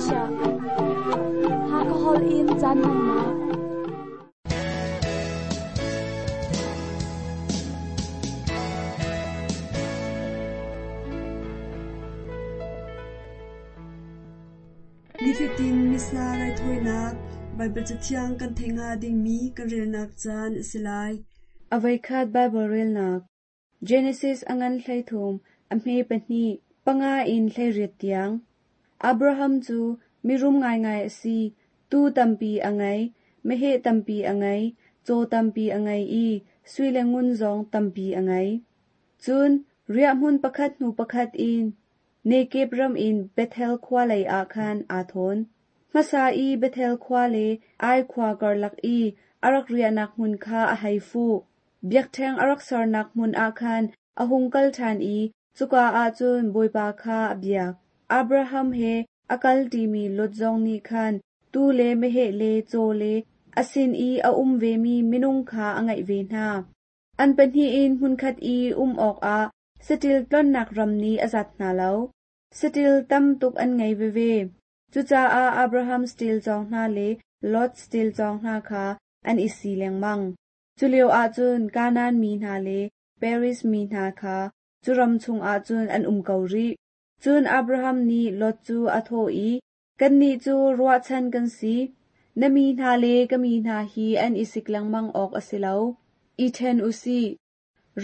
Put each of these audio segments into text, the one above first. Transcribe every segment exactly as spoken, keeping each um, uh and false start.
Malaysia Hakahol in caan hmannak Nifatin Missa raithawinak Baibal Cathiang kan theih hnga dingmi kan relnak caan a si lai. A voikhat Baibal relnak Genesis a ngan hleithum, a hme pahnih, panga in hleiriat tiang. Abraham cu mirum ngaingai a si, tuu tampi a ngei, meheh tampi a ngei, caw tampi a ngei i sui le ngun zong tampi a ngei. Cun riahhmun pakhat hnu pakhat in Nekeb ram in Bethel khua lei ah khan aa thawn. Hmasa i Bethel khua le Ai khua karlak i a rak riahnak hmun kha a hei fuh. Biakṭheng a rak sernak hmun ah khan a hung kal ṭhan i cuka ah cun Bawipa kha a biak. Abraham he a kal ṭimi Lot zong nih khan tuu le meheh le caw le a sin i a um vemi minung kha a ngeih ve hna. An pahnih in hmunkhat i um awkah saṭil tlonnak ram nih a zat hna lo. Saṭil tam tuk an ngei veve. Cucaah Abraham saṭil cawng hna le Lot saṭil cawng hna kha an i si lengmang. Culio ahcun Kanaan mi hna le Periz mi hna kha cu ram chungah cun an um ko rih. Cun Abraham nih Lot cu a thawh i, Kannih cu ruahchan kan si. Na mi hna le ka mi hna hi an i sik lengmang awk a si lo. I ṭhen u sih.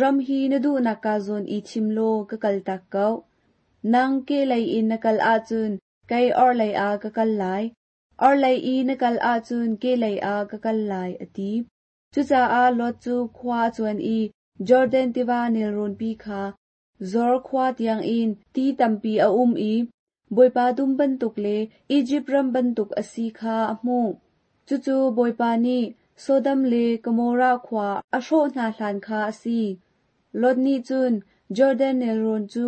Ram hi na duhnak ka zawn i thim law ka kaltak ko. Nang kehlei in na kal ahcun kei orhlei ah ka kal lai. Orhlei i na kal ahcun kehlei ah ka kal lai, a ti. Cucaah Lot cu khua a cuan i Jordan tiva nelrawnpi kha Zor khua tiangin ti tampi a um i Bawipa dum bantuk le Izipt ram bantuk a si kha a hmuh. Cucu Bawipa nih Sodom le Gomorrah khua a hrawh hna hlan kha a si. Lot nih cun Jordan nelrawn cu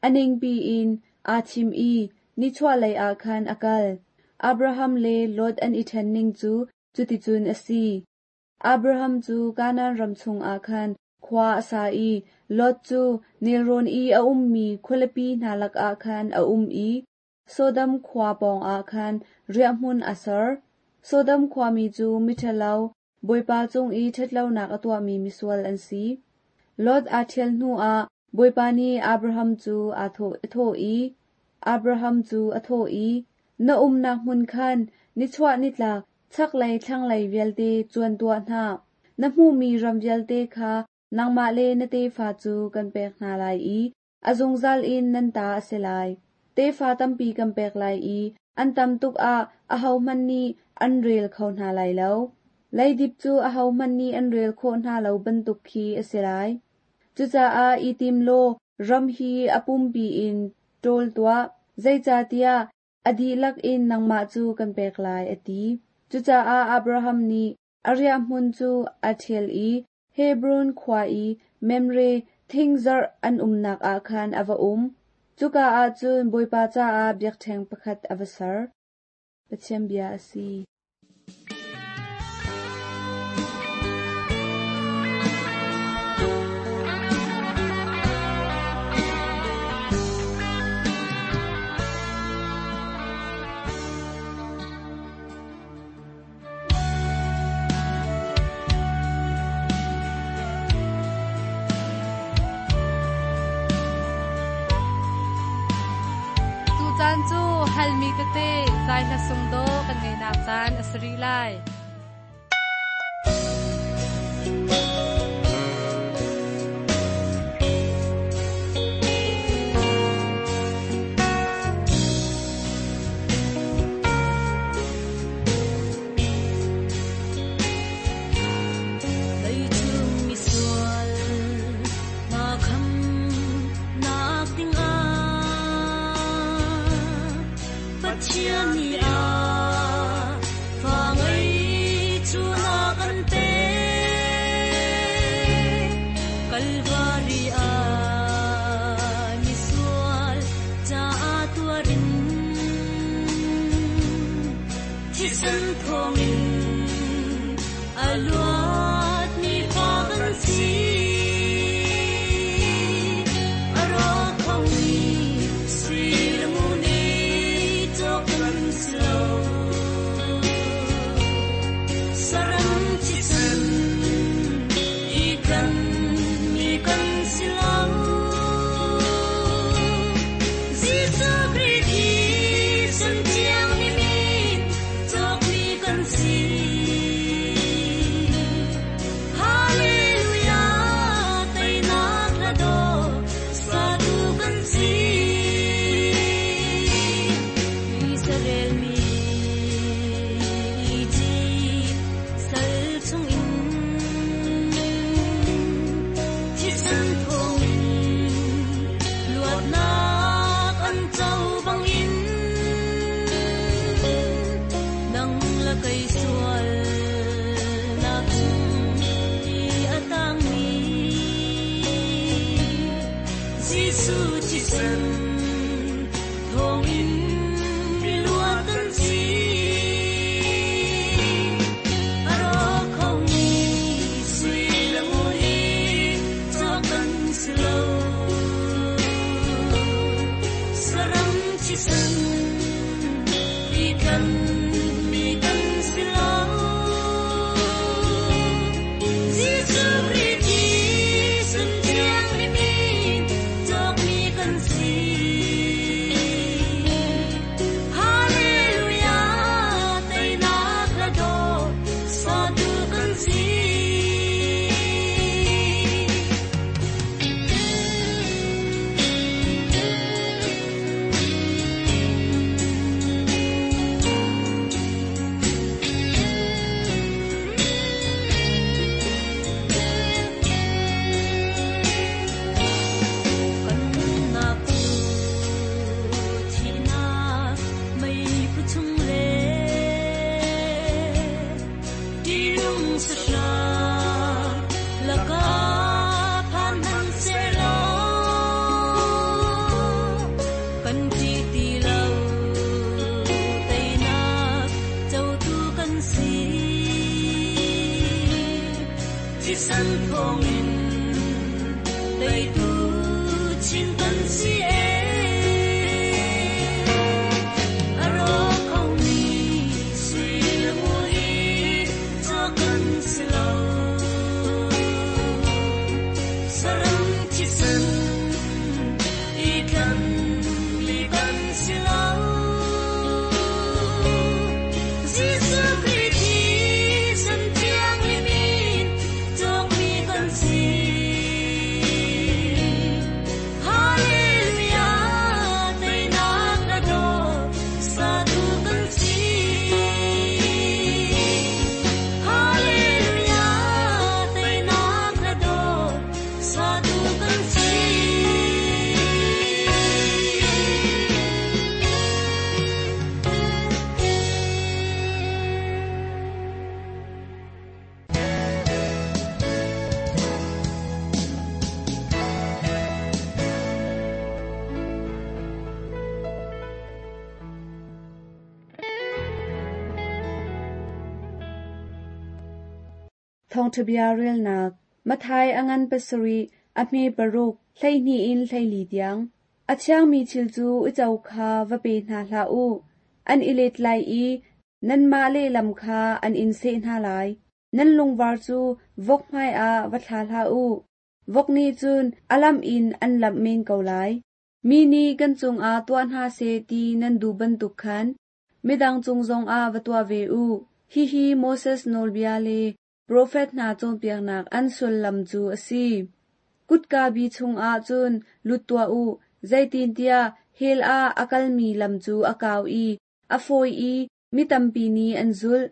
a ningpi in aa thim i nichuahlei ah khan a kal. Abraham le Lot an i ṭhen ning cu cuticun a si. Abraham cu Kanaan ram chungah khan khua a sa i Lot cu nelrawn i a ummi khualipi hna lakah khan a um i Sodom khua pawngah khan riahhmun a ser. Sodom khuami cu miṭhalo, Bawipa cung i ṭhatlonak a tuahmi misual an si. Lot aa ṭhial hnuah Bawipa nih Abraham cu a thawh i, Abraham cu a thawh i, Na umnak hmun khan nichuah nitlak chaklei thlanglei vialte cuan tuah hna. Na hmuhmi ram vialte kha nangmah le na tefa cu kan pek hna lai i a zungzal in nan ta a si lai. Tefa tampi kan pek lai i an tam tuk ah ahohmanh nih an rel kho hna lai lo. Leidip cu ahohmanh nih an rel khawh hna lo bantuk khi a si lai. Cucaah i tim law ram hi a pumpi in ṭawl tuah, zeicahtiah a dihlak in nangmah cu kan pek lai, a ti. Cucaah Abraham nih a riahhmun cu a ṭhial i Hebron khua i Mamre thingzarh an umnak ah khan a va um. Cuka ah cun Bawipa caah biakṭheng pakhat a va ser. Pathian bia a si. Caan cu halmi tete zai hla sung do kan ngeinak caan a si rih lai. Sui le ngun i cawk kan thisen thawngin teitu chin kan si e a ro khomi sui le ngun hi cho kan si lo saram thisen i tlan mi kan si lo Jesuh Khrih thisen thiang limin cawk mi kan si Hallelujah teinak na dawt satu kan si Hallelujah teinak na dawt satu kan si Thawngṭhabia relnak Mathai a ngan pasarih a hme paruk hleihnih in hleili tiang. A thiangmi thil cu uico kha va pe hna hlah u. An i let lai i nanmah lehlam kha an in seh hna lai. Nan lungvar cu vok hmaiah va thla hlah u. Vok nih cun a lamh in an lamh men ko lai. Mi nih kan cungah tuah hna seh ti nan duh bantuk khan midang cung zongah va tuah ve u. Hihi Moses nawlbia le profet hna cawnpiaknak an sullam cu a si. Kutka bi chungah cun lut tuah u, zeitintiah hell ah a kalmi lam cu a kau i a fawi i mi tampi nih an zulh.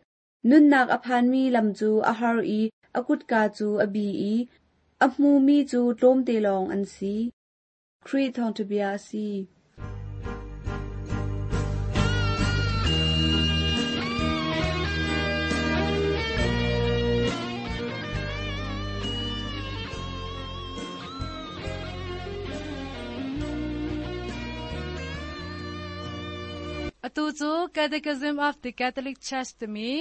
Nunnak a phanmi lam cu a har i a kutka cu a bi i a hmumi cu tlawmte lawng an si. Khrih thawngṭhabia a si. Atu cu Catechism of the Catholic Church timi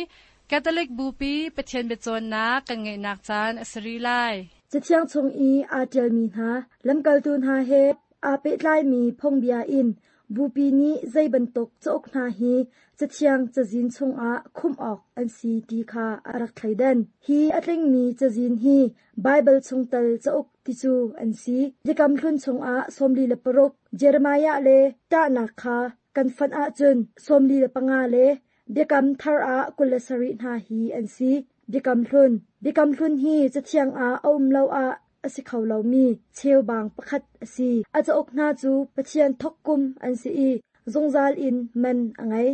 Catholic Bupi Pathian biacawnnak kan ngeihnak caan a si rih lai. Cathiang chung i aa ṭialmi hna lamkaltu hna he aa pehtlaimi phungbia in Bupi nih zei bantuk cauk hna hi cathiang cazin chungah khumh awk an si ti kha a rak thleidan. Hi a tlingmi cazin hi Baibal chungtel cauk ti cu an si. Biakam hlun chungah sawmli le paruk, Jeremiah le ṭahnak kha kan fonh ahcun sawmli le panga le Biakam thar ah kul le sarih hna hi an si. Biakam hlun. Biakam hlun hi cathiang ah a um lo ah a si kho lomi cheubang pakhat a si. A cauk hna cu Pathian thawkkum an si i zungzal in man a ngei.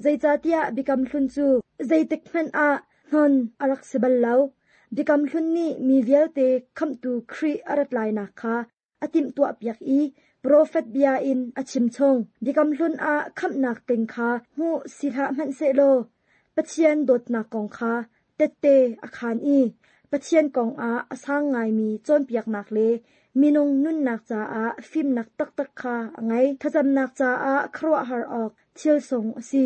Zeicahtiah Biakam hlun cu zeitik hmanh ah hnon a rak si bal lo. Biakam hlun nih mi vialte khamhtu Khrih a rat lainak kha a timhtuahpiak i profet bia in a chim chung. Biakam hlun ah khamhnak ting kha hmuh si hlah hmanhsehlaw Pathian dawtnak kong kha tette a khaan i Pathian kong ah a sang ngaimi cawnpiaknak le minung nunnak caah fimnak taktak kha a ngei. Thlacamnak caah khuaruahhar awk thil sung a si.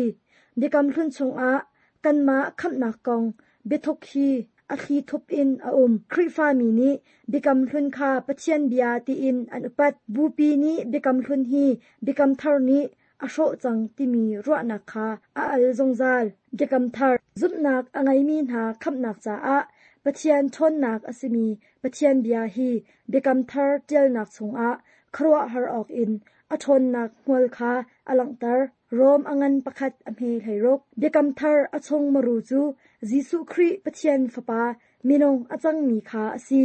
Biakam hlun chungah kanmah khamhnak kong biathuk hi a thli thup in a um. Khrihfami nih Biakam hlun kha Pathian bia tiin an upat. Bupi nih Biakam hlun hi Biakam thar nih a hrawh cang timi ruahnak kha a al zungzal. Biakam thar zumhnak a ngeimi hna khamhnak caah Pathian ṭhawnnak a simi Pathian bia hi Biakam thar ṭialnak chungah khuaruahhar awk in a ṭhawnnak hmual kha a langhter. Rom a ngan pakhat a hme hleiruk. Biakam thar a chung maru cu Jesuh Khrih Pathian Fapa minung a cangmi kha a si.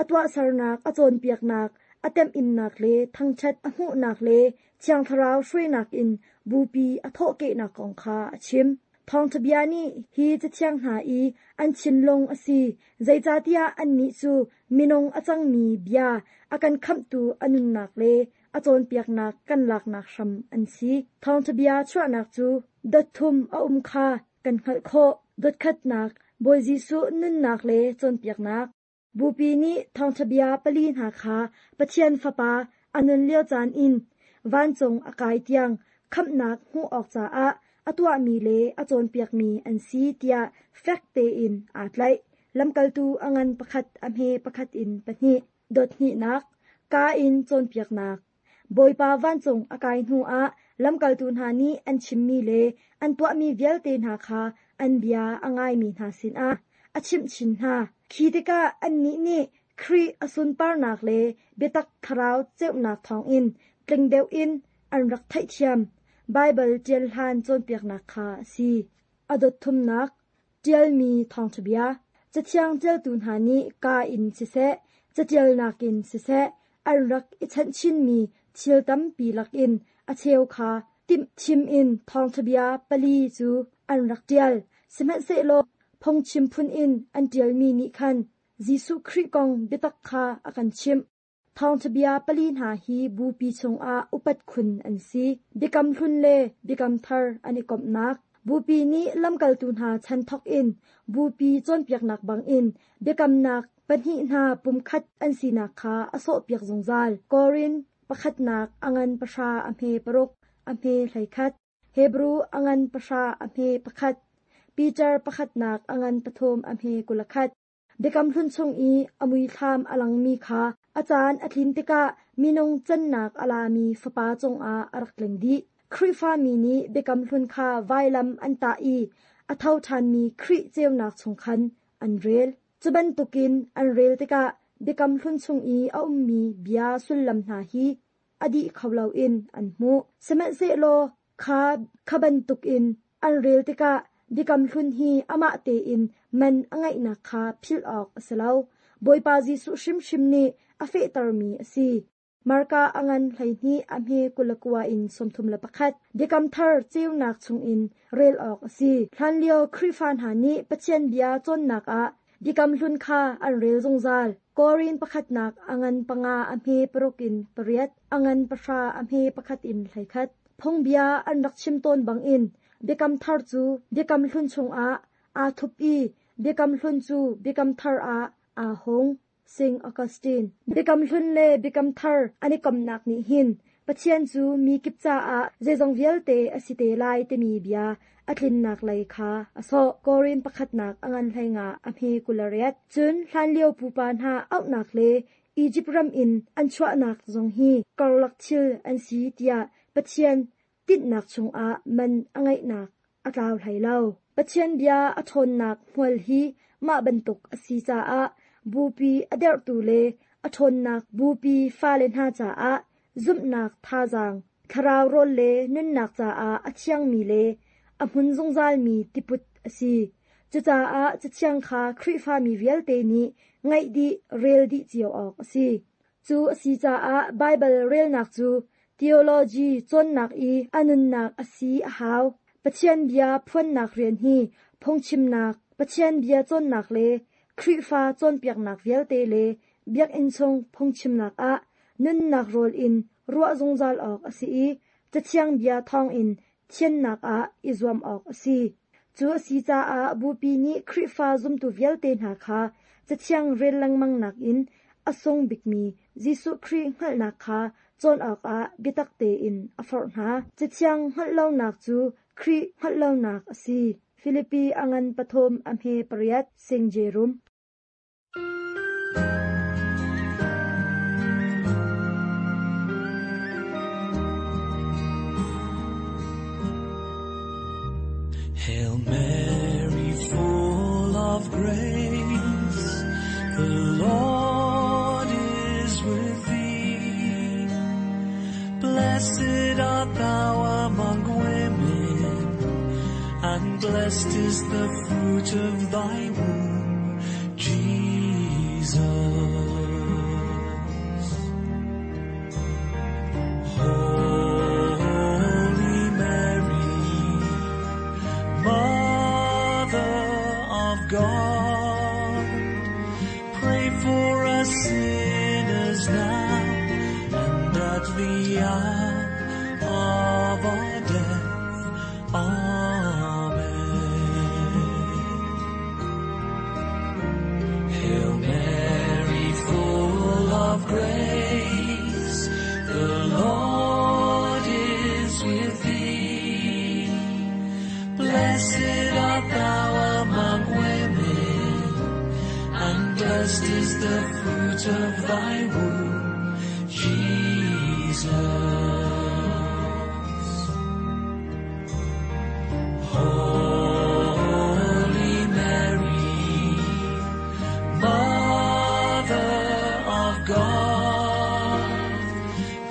A tuahsernak, a cawnpiaknak, a temhinnak le thangṭhat a hmuhnak le Thiang Thlarau hruainak in Bupi a thawhkehnak kong kha a chim. Thawngṭhabia nih hi cathiang hna i an thinlung a si, zeicahtiah annih cu minung a cangmi bia a kan khamhtu a nunnak le a cawnpiaknak kan laknak hram an si. Thawngṭhabia chuahnak cu dot thum a um kha kan hngalh khawh. Dot khatnak Bawi Jesuh nunnak le cawnpiaknak. Bupi nih thawngṭhabia pali hna kha Pathian Fapa a nun lio caan in vancung a kai tiang khamhnak hmuh awk caah a tuahmi le a cawnpiakmi an si tiah fek tein aa tlaih. Lamkaltu a ngan pakhat a hme pakhat in pahnih. Dot hnihnak, ka in cawnpiaknak. Bawipa vancung a kai hnuah lamkaltu hna nih an chimmi le an tuahmi vialte hna kha an bia a ngaimi hna sinah a chimh chin hna. Khi tikah annih nih Khrih a sunparnak le biatak thlarau ceunak thawngin tling deuh in an rak theihthiam. Baibal ṭial hlan cawnpiaknak kha a si. A dot thumnak, ṭialmi thawngṭha bia. Cathiang ṭialtu hna nih ka in siseh, caṭialnak in siseh, an rak i chanhchinmi thil tampi lakin a cheu kha timh thim in thawngṭha bia pali cu an rak ṭial. Sihmanhsehlaw phungchim phun in an ṭialmi nih khan Jesuh Khrih kong biatak kha a kan chimh. Thawngṭha bia pali hna hi bupi chungah upat khun an si. Biakam hlun le biakam thar an i komhnak. Bupi nih lamkaltu hna chan thawk in bupi cawnpiaknak bangin biakamnak pahnih hna pumkhat an sinak kha a sawhpiak zungzal. Korin pakhatnak a ngan pahra a hme paruk a hme hleikhat. Hebru a ngan pahra a hme pakhat. Peter pakhatnak a ngan pathum a hme kulakhat. Biakam hlun chung i a muithlam a langmi kha a caan a tlin tikah minung cannak a lami fapa cungah a rak tling dih. Khrihfami nih biakam hlun kha vailam an tah i a tho ṭhanmi Khrih ceunak chung khan an rel. Cu bantukin an rel tikah biakam hlun chung i a ummi bia sullam hna hi a dih kho loin an hmuh. Sihmanhsehlaw kha kha bantukin an rel tikah biakam hlun hi amah tein man a ngeihnak kha philh awk a si lo. Bawipa Jesuh hrimhrim nih a fehtermi a si. Marka a ngan hleihnih a hme kulakua in sawmthum le pakhat. Biakam thar ceunak chungin rel awk a si. Hlanlio Khrihfa hna nih Pathian bia cawnnak ah biakam hlun kha an rel zungzal. Korin pakhatnak a ngan panga a hme paruk in pariat, a ngan pahra a hme pakhat in hleikhat. Phungbia an rak chim tawn bangin biakam thar cu biakam hlun chungah aa thup i biakam hlun cu biakam thar ah aa hung. Saint Augustine. Biakam hlun le biakam thar an i komnak nih hin Pathian cu mi kip caah zeizong vialte a si te lai timi bia a tlinnak lei kha a sawh. Korin pakhatnak a ngan hleinga a hme kulariat. Cun hlanlio pupa hna auhnak le Egypt ram in an chuahnak zong hi karlak thil an si tiah Pathian tinhnak chungah man a ngeihnak a tlau hlei lo. Pathian bia a ṭhawnnak hmual hi mah bantuk a si caah bupi a derhtu le a ṭhawnnak bupi fale hna caah zumhnak thazaang, thlarau rawl le nunnak caah a thiangmi le a hmun zungzalmi tiput a si. Cucaah Cathiang kha Khrihfami vialte nih ngaih dih, rel dih cio awk a si. Cu a si caah Baibal relnak cu theology cawnnak i a nunnak a si a hau. Pathian bia phuannak rian hi phungchimnak, Pathian bia cawnnak le Khrihfa cawnpiaknak vialte le biakinn chung phungchimnak ah nunnak rawl in ruah zungzal awk a si i Cathiang bia thawngin thiannak ah i zuam awk a si. Cu a si caah bupi nih Khrihfa zumtu vialte hna kha Cathiang rel lengmang nakin a sung bikmi Jesuh Khrih hngalhnak kha cawn awkah biatak tein a forh hna. Cathiang hngalh lonak cu Khrih hngalh lonak a si. Filipi a ngan pathum a hme pariat Saint Jerome. Hail Mary, full of grace, the Lord is with thee. Blessed art thou among women, and blessed is the fruit of thy womb, Jesus. Holy Mary, Mother of God, pray for us sinners now and at the hour of our death. Amen. Hail Mary, full of grace, the Lord is with thee. Blessed art thou among women, Blessed is the fruit of thy womb, Jesus. Holy Mary, Mother of God,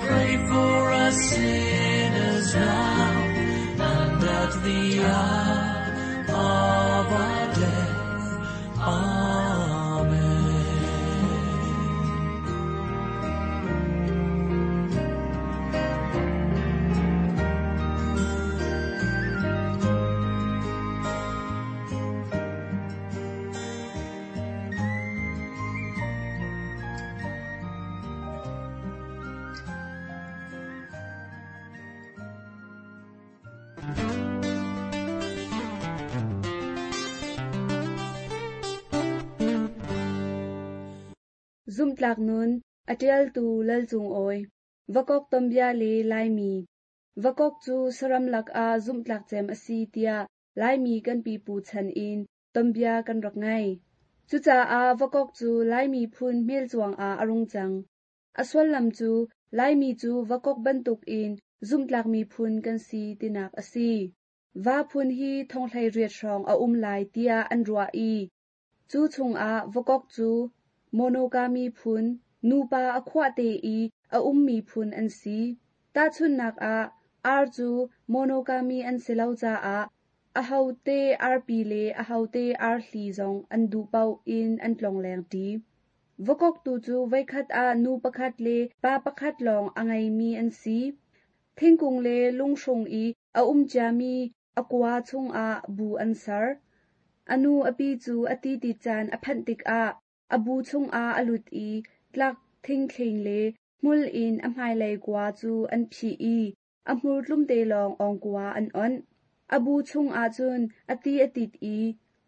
pray for us sinners now and at the hour of our death. Amen. Zumtlak nun, a ṭialtu Lal Cung Awi, Vakok tombia le Laimi. Vakok cu saram lakah zumhtlak cem a si tiah Laimi kan pipu chan in tombia kan rak ngei. Cucaah Vakok cu Laimi phun hmelchuang ah a rung cang. A sullam cu Laimi cu Vakok bantukin zumhtlak miphun kan si tinak a si. Va phun hi thonghlei riat hrawng a um lai tiah an ruah i cu chungah Vakok cu monogamy phun, nupa a khuah te i a ummi phun an si. Tahchunhnak ah, ar cu monogamy an si lo caah ahote arpi le ahote arhli zong an duh paoh in an tlongleng ṭi. Vakok tu cu voikhat ah nu pakhat le pa pakhat lawng a ngeimi an si. Thingkung le lunghrung i a um ciami a kua chungah bu an ser. A nu a pi cu a ti ti caan a phanh tikah a bu chungah a lut i tlak thingthling le hmul in a hmailei kua cu an phih i a hmur tlumte lawng awngkua an onh. A bu chungah cun a ti a tit i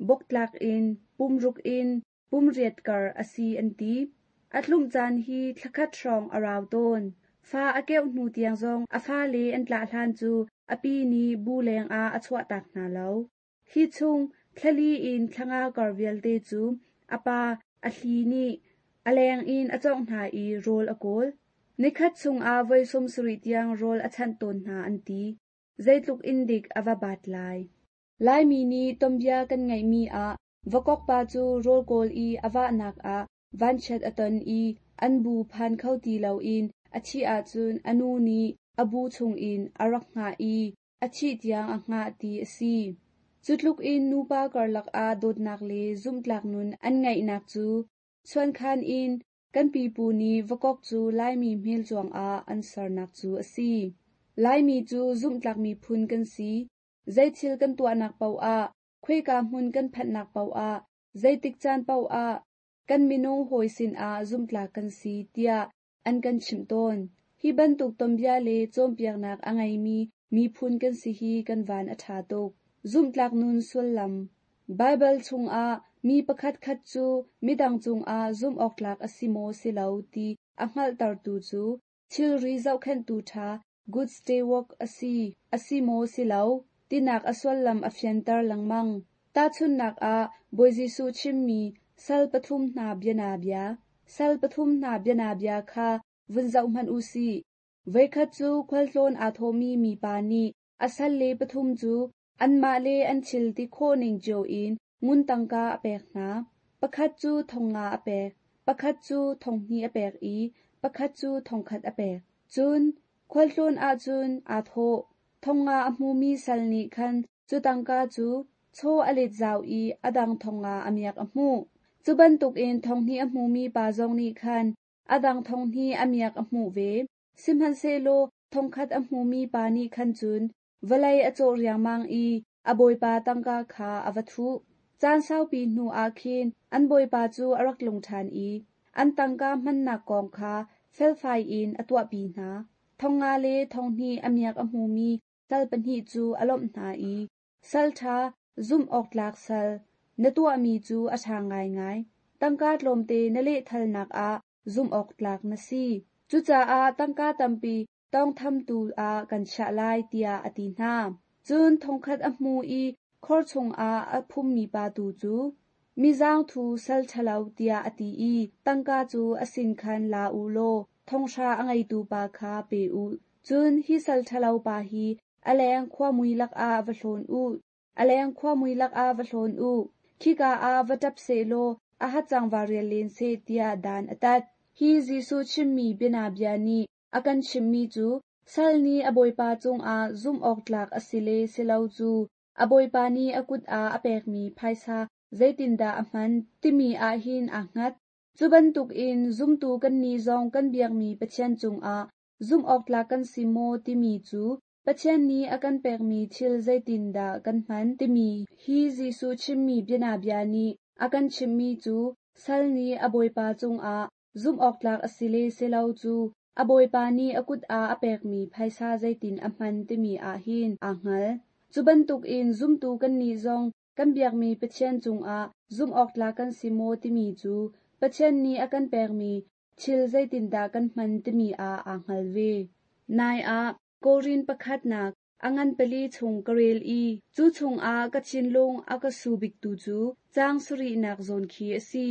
boktlak in pumruk in pumriat kar a si an ti. A tlumh caan hi thlakhat hrawng a rau tawn. Fa a keuh hnu tiang zong a fale an tlah hlan cu a pi nih bu lengah a chuahtak hna lo. Hi chung thlali in thlanga kar vialte cu a pa a hli nih a leng in a cawngh hna i rawl a kawl. Nikhat chungah voi sawm sarih tiang rawl a chanh tawn hna an ti. Zeitluk in dik a va bat lai. Laimi nih tombia kan ngeihmi ah Vakok pa cu rawl kawl i a vahnak ah vanchiat a ton i an bu phan kho ti loin a thih ahcun a nu nih a bu chungin a rak hngah i a thih tiang a hngah ti a si. Cutluk in nupa karlak ah dawtnak le zumhtlak nun an ngeihnak cu chuankhan in kan pipu nih Vakok cu Laimi hmelchuang ah an sernak cu a si. Laimi cu zumhtlak miphun kan si. Zeithil kan tuahnak paoh ah, khuika hmun kan phanhnak paoh ah, zeitik caan paoh ah, kan minung hawi sinah zumhtlak kan si tiah an kan chimh tawn. Hi bantuk tombia le cawnpiaknak a ngeimi miphun kan si hi kan van a ṭha tuk. Zumhtlak nun sullam. Baibal chungah mi pakhat khat cu midang cungah zumh awktlak a si maw si lo ti a hngalhtertu cu thilri zohkhenhtu ṭha good steward a si, a si maw si lo tinak a sullam a fianter lengmang. Tahchunhnak ah Bawi Jesuh chimmi sal pathum hna bianabia. Sal pathum hna bianabia kha vun zoh hmanh u sih. Voikhat cu khualtlawn aa thawhmi mipa nih a sal le pathum cu anmah le an thil ti khawh ning cio in ngun tangka a pek hna. Pakhat cu thong nga a pek, pakhat cu thong hnih a pek i pakhat cu thongkhat a pek. Cun khualtlawn ahcun aa thawh. Thong nga a hmumi sal nih khan cu tangka cu chaw a let zau i a dang thong nga a miak a hmuh. Cu bantukin thong hnih a hmumi pa zong nih khan a dang thong hnih a miak a hmuh ve. Sihmanhsehlaw thongkhat a hmumi pa nih khan cun vawlei a cawh riangmang i a bawipa tangka kha a va thuh. Caan saupi hnu ah khin an bawipa cu a rak tlung ṭhan i an tangka hmannak kong kha felfai in a tuahpi hna. Thong nga le thong hnih a miak a hmumi sal pahnih cu a lawmh hna i sal ṭha zumh awktlak sal na tuahmi cu a ṭha ngaingai. Tangka tlawmte na lehthalnak ah zumh awktlak na si. Cucaah tangka tampi tawngthamtu ah kan chiah lai tiah a ti hna. Cun thongkhat a hmu i khor chungah a phummi pa tu cu Mi zaangthu sal ṭhalo tiah a ti i tangka cu a sin khan la u law thonghra a ngeitu pa kha pe u. Cun hi sal ṭhalo pa hi a leng khuamui lakah va hlawn u. A leng khuamui lakah va hlawn u. Khika ah va ṭap sehlaw a hacang va rial len seh tiah dan a tat. Hi Jesuh chimmi bianabia nih a kan chimhmi cu sal nih a bawipa cungah zumh awk tlak a si le si lo cu a bawipa nih a kut ah a pekmi phaisa zeitindah a hman timi ah hin aa hngat. Cu bantukin zumtu kannih zong kan biakmi Pathian cungah zumh awk tlak kan si maw timi cu Pathian nih a kan pekmi thil zeitindah kan hman timi hi Jesuh chimmi bianabia nih a kan chimhmi cu sal nih a bawipa cungah zumh awk tlak a si le si lo cu a bawipa nih a kut ah a pekmi phaisa zeitin a hman timi ah hin aa hngal. Cu bantukin zumtu kannih zong kan biakmi Pathian cungah zumh awk tlak kan si maw timi cu Pathian nih a kan pekmi thil zeitindah kan hman timi ah aa hngal ve. Nai ah Korin pakhatnak a ngan pali chung ka rel i cu chungah ka thinlung a ka su biktu cu caang sarihnak zawn khi a si.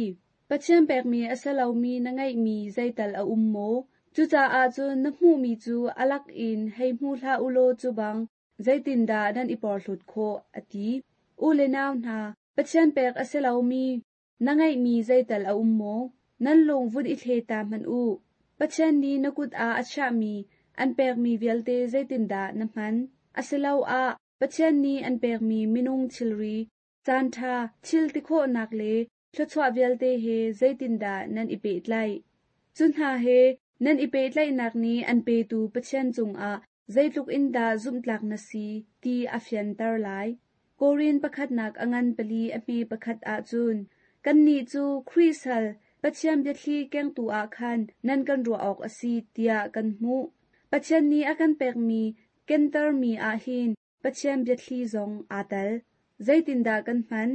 Pathian pekmi a si lomi na ngeihmi zeital a um maw? Cucaah cun na hmuhmi cu a lak in hei hmu hlah u law cu bang zeitindah nan i porhlawt khawh, a ti. U le nau hna, Pathian pek a si lomi na ngeihmi zeital a um maw? Nan lung vun i thle ta hmanh u. Pathian nih na kut ah a chiahmi an pekmi vialte zeitindah na hman? Asiloah Pathian nih an pekmi minung thilri, caanṭha, thil ti khawhnak le thluachuah vialte he zeitindah nan i pehtlaih? Cu hna he nan i pehtlaihnak nih an petu Pathian cungah zeitluk in dah zumhtlak na si ti a fianter lai. Korin pakhatnak a ngan pali a hme pakhat ahcun kannih cu Khrih sal Pathian biathli kengtu ah khan nan kan ruah awk a si tiah kan hmuh. Pathian nih a kan pekmi kentermi ah hin Pathian biathli zong aa tel. Zeitindah kan hman?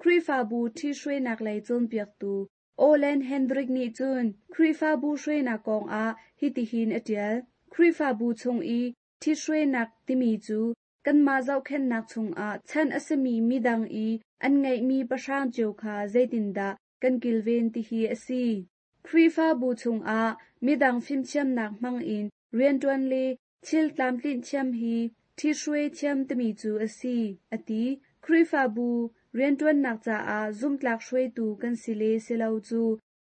Khrihfabu ṭhihruainak lei cawnpiaktu Olen Hendrik nih cun Khrihfabu hruainak kongah hitihin a ṭial. Khrihfabu chung i ṭhihruainak timi cu kanmah zohkhenhnak chungah chan a simi midang i an ngeihmi pahrang cio kha zeitindah kan kilven tihi a si. Khrihfabu chungah midang fimthiamnak hmangin rianṭuan le thil tlamtlinh thiam hi ṭhihruai thiam timi cu a si, a ti. Khrihfabu rianṭuannak caah zumhtlak hruaitu kan si le si lo cu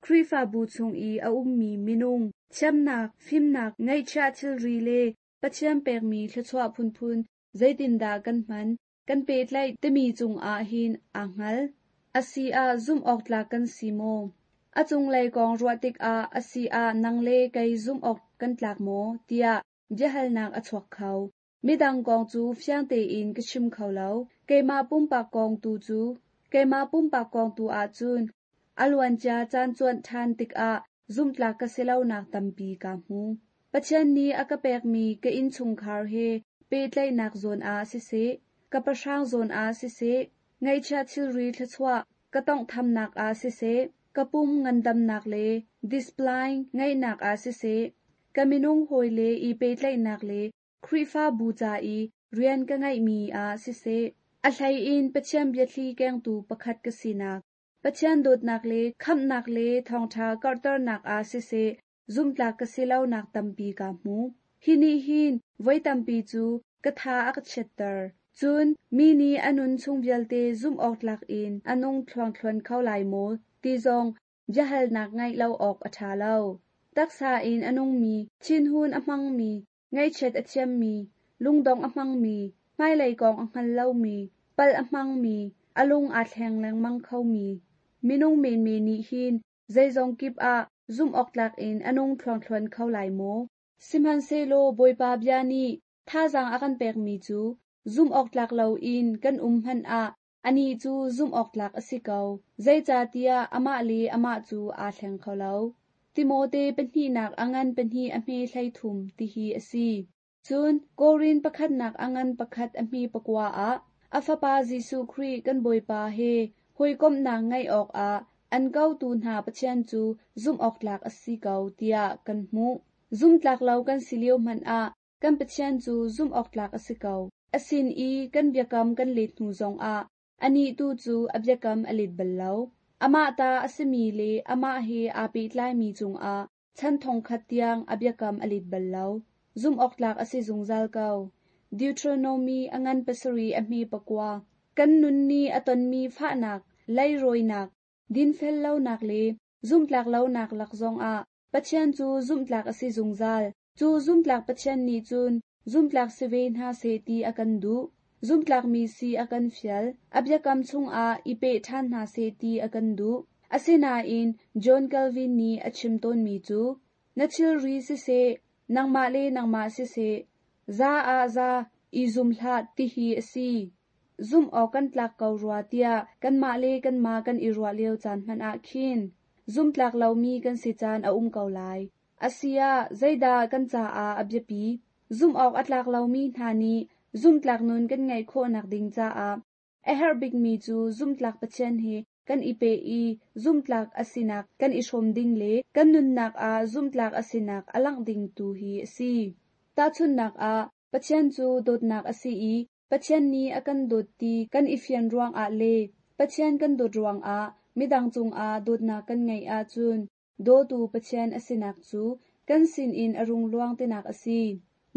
Khrihfabu chung i a ummi minung, thiamnak, fimnak, ngeihchiah thilri le Pathian pekmi thluachuah phunphun zeitindah kan hman, kan pehtlaih timi cungah hin aa hngal. A si ah zumh awk tlak kan si maw? A cunglei kong ruah tikah a si ah nang le kei zumh awk kan tlak maw tiah biahalnak a chuak kho. Midang kong cu fiang tein ka chim kho lo. Keimah pumpak kong tu cu keimah pumpak kong tu ahcun a luancia caan cuanh ṭhan tikah zumhtlak ka si lonak tampi ka hmu. Pathian nih a ka pekmi ka innchungkhar he pehtlaihnak zawn ah siseh, ka pahrang zawn ah siseh, ngeihchiah thilri thluachuah ka tonghthamnak ah siseh, ka pum ngandamnak le discipline ngeihnak ah siseh, ka minung hawi le i pehtlaihnak le Khrihfabu ca i rian ka ngeihmi ah siseh, a hlei in Pathian biathli kengtu pakhat ka sinak, Pathian dawtnak le khamhnak le thawngṭha karhternak ah siseh, zumhtlak ka si lonak tampi ka hmu. Hi nih hin voi tampi cu ka tha a ka chiatter. Cun mi nih a nun chung vialte zumh awk tlak in a nung thluangthluan kho lai maw ti zong biahalnak ngeih lo awk a ṭha lo. Taksa in a nungmi, thinhun a hmangmi, ngaihchiat a thiammi, lungdong a hmangmi, hmailei kong a hngal lomi, palh a hmangmi, a lung aa thleng lengmang khomi, minung menmen nih hin zeizong kip ah zumh awk tlak in a nung thluangthluan kho lai maw? Sihmanhsehlaw Bawipa bia nih thazaang a kan pekmi cu zumh awk tlak loin kan um hmanh ah anih cu zumh awk tlak a si ko. Zeicahtiah amah le amah cu aa thleng kho lo. Timote pahnihnak a ngan pahnih a hme hleithum tihi a si. Cun Korin pakhatnak a ngan pakhat a hme pakua ah a fapa Jesuh Khrih kan Bawipa he hawikomhnak ngeih awkah an kotu hna Pathian cu zumh awk tlak a si ko tiah kan hmuh. Zumhtlak lo kan si lio hmanh ah kan Pathian cu zumh awk tlak a si ko. A sin i kan biakam kan let hnu zongah Anih tu cu a biakam a let bal lo. Amah ta a simi le amah he aa pehtlaimi cungah chan thongkhat tiang a biakam a let bal lo. Zumh awk tlak a si zungzal ko. Deuteronomy a ngan pasarih a hme pakua. Kan nun nih a tonmi fahnak, leirawinak, dinfel lonak le zumhtlak lonak lak zongah Pathian cu zumhtlak a si zungzal. Cu zumhtlak Pathian nih cun zumhtlak si ve hna seh ti a kan duh. Zumhtlakmi si a kan fial. A biakam chungah i peh ṭhan hna seh ti a kan duh. Asinain John Calvin nih a chim tawnmi cu, na thilri siseh, nangmah le nangmah siseh, za ah za i zum hlah tihi a si. Zumh awk kan tlak ko rua tiah kanmah le kanmah kan i ruah lio caan hmanh ah khin zumhtlak lomi kan si caan a um ko lai. Asiah zeidah kan caah a biapi? Zumh awk a tlak lomi hna nih zumhtlak nun kan ngeih khawhnak ding caah a herh bikmi cu zumhtlak Pathian he kan i peh i zumhtlak a sinak kan i hrawm ding le kan nunnak ah zumhtlak a sinak a langh ding tu hi a si. Tahchunhnak ah, Pathian cu dawtnak a si i Pathian nih a kan dawt ti kan i fian ruangah le Pathian kan dawt ruangah midang cungah dawtnak kan ngeih ahcun dawtu Pathian a sinak cu kan sinin a rung luang tinak a si.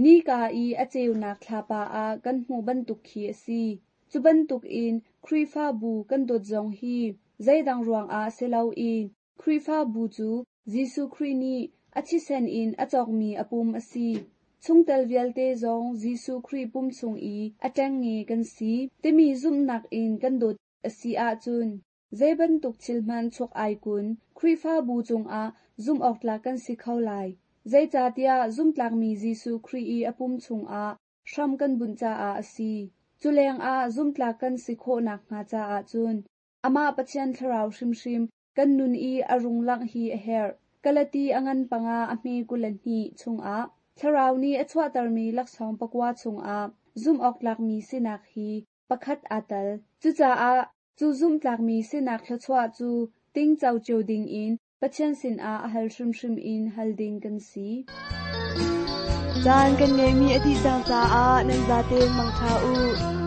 Nika i a ceunak thlapa ah kan hmuh bantuk khi a si. Cu bantukin Khrihfabu kan dawt zong hi zeidang ruangah si loin Khrihfabu cu Jesuh Khrih nih a thisen in a cawkmi a pum a si. Chungtel vialte zong Jesuh Khrih pum chung i a ṭengnge kan si timi zumhnak in kan dawt a si ahcun zei bantuk thil hmanh chuak ai kun Khrihfabu cungah zumh awk tlak kan si kho lai. Zeicahtiah zumhtlakmi Jesuh Khrih i a pum chungah hram kan bunh caah a si. Cu lengah zumhtlak kan si khawhnak hnga caah cun amah Pathian Thlarau hrimhrim kan nun i a rung langh hi a herh. Galati a ngan panga a hme kul le hnih chungah Thlarau nih a chuahtermi laksawng pakua chungah zumh awk tlakmi sinak hi pakhat aa tel. Cucaah cu zumhtlakmi sinak thluachuah cu tingco cio dingin Pathian sinah a hal hrimhrim in hal ding kan si. Caan kan ngeihmi a dih cang caah nan zaten mangṭha u.